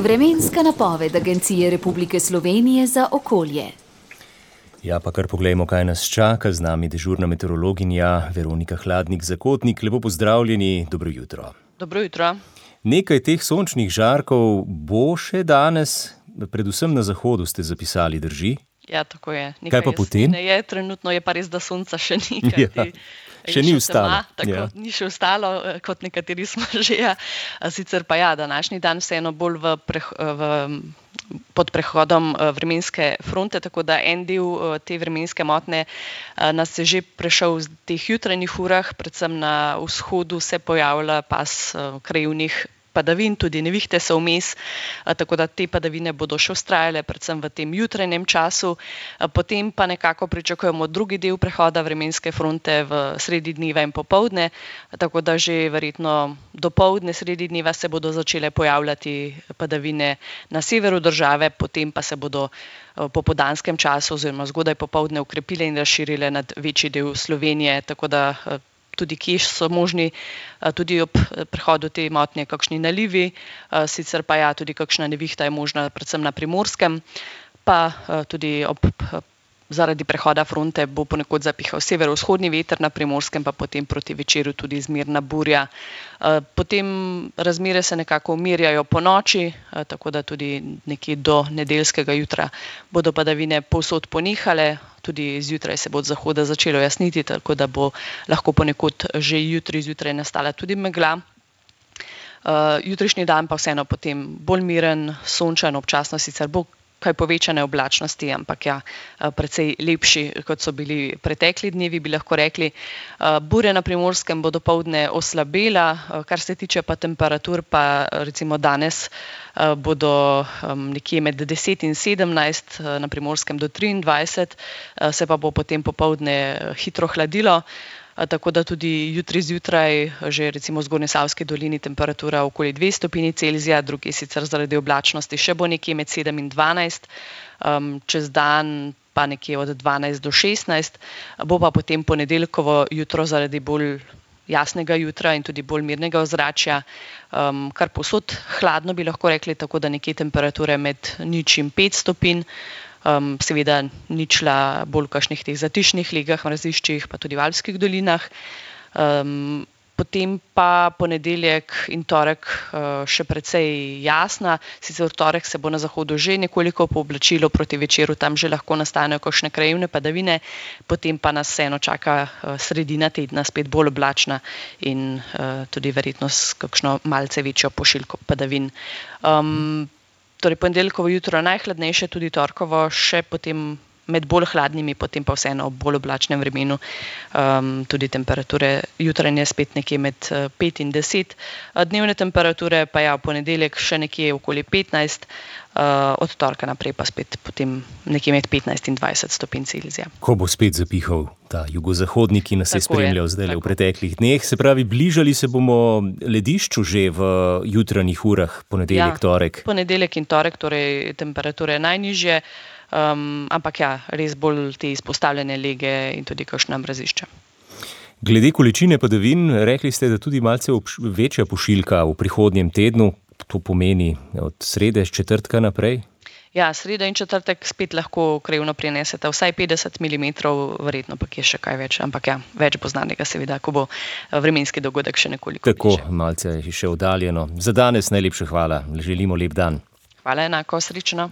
Vremenska napoved Agencije Republike Slovenije za okolje. Ja, pa kar poglejmo, kaj nas čaka. Z nami dežurna meteorologinja Veronika Hladnik-Zakotnik. Lepo pozdravljeni, dobro jutro. Dobro jutro. Nekaj teh sončnih žarkov bo še danes, predvsem na zahodu ste zapisali, drži? Ja, tako je. Kaj pa potem? Trenutno je pa res, da sonca še ni. Še ni ostalo. Ni še ostalo, kot nekateri smo že. Sicer pa današnji dan vseeno bolj pod prehodom vremenske fronte, tako da en del te vremenske motnje nas je že prešel v teh jutranjih urah, predvsem na vzhodu se pojavlja pas krajevnih padavin, tudi nevihte so vmes, tako da te padavine bodo še vztrajale, predvsem v tem jutranjem času. Potem pa nekako pričakujemo drugi del prehoda vremenske fronte v sredi dneva in popoldne, tako da že verjetno dopoldne, sredi dneva se bodo začele pojavljati padavine na severu države, potem pa se bodo v popoldanskem času oziroma zgodaj popoldne ukrepile in razširile nad večji del Slovenije, tako da tudi kje so možni tudi ob prehodu te motnje kakšni nalivi, sicer pa tudi kakšna nevihta je možna predvsem na Primorskem, pa tudi zaradi prehoda fronte bo ponekod zapihal severovzhodni veter na Primorskem, pa potem proti večeru tudi zmerna burja. Potem razmere se nekako umirjajo po noči, tako da tudi nekje do nedeljskega jutra bodo padavine povsod ponehale, tudi zjutraj se bo od zahoda začelo jasniti, tako da bo lahko ponekod že jutri zjutraj nastala tudi megla. Jutrišnji dan pa vseeno potem bolj miren, sončen, občasno sicer bo kaj povečane oblačnosti, ampak precej lepši, kot so bili pretekli dnevi, bi lahko rekli. Burje na Primorskem bo dopoldne oslabela, kar se tiče pa temperatur, pa recimo danes bodo nekje med 10 in 17, na Primorskem do 23, se pa bo potem popoldne hitro hladilo. Tako da tudi jutri zjutraj, že recimo v Zgornjesavski dolini temperatura okoli 2 stopinji Celzija, drugi sicer zaradi oblačnosti še bo nekje med 7 in 12, čez dan pa nekje od 12 do 16, bo pa potem ponedeljkovo jutro zaradi bolj jasnega jutra in tudi bolj mirnega ozračja, kar povsod hladno bi lahko rekli, tako da nekje temperature med 0 in 5 stopinj, seveda ničla bolj v kakšnih teh zatišnih legah, mraziščih, pa tudi v alpskih dolinah. Potem pa ponedeljek in torek še precej jasna, sicer v torek se bo na zahodu že nekoliko pooblačilo, proti večeru tam že lahko nastanejo kakšne krajevne padavine, potem pa nas vseeno čaka sredina tedna spet bolj oblačna in tudi verjetno s kakšno malce večjo pošiljko padavin. Torej ponedeljkovo jutro najhladnejše, tudi torkovo še potem med bolj hladnimi, potem pa vseeno ob bolj oblačnem vremenu, tudi temperature jutranje spet nekje med 5 in 10. Dnevne temperature pa v ponedeljek še nekje okoli 15, od torka naprej pa spet potem nekje med 15 in 20 stopinj Celzija. Ko bo spet zapihal ta jugozahodnik, ki nas je spremljal zdaj v preteklih dneh, se pravi, bližali se bomo ledišču že v jutranjih urah, ponedeljek, torek. Ponedeljek in torek, torej temperature najnižje, ampak res bolj te izpostavljene lege in tudi kakšna mrazišča. Glede količine padavin, rekli ste, da tudi malce večja pošiljka v prihodnjem tednu, to pomeni od srede, četrtka naprej? Sreda in četrtek spet lahko krajevno prinesete vsaj 50 mm, verjetno pa je še kaj več, ampak več bo znanega seveda, ko bo vremenski dogodek še nekoliko bližje. Tako, malce je še oddaljeno. Za danes najlepša hvala, želimo lep dan. Hvala enako, srečno.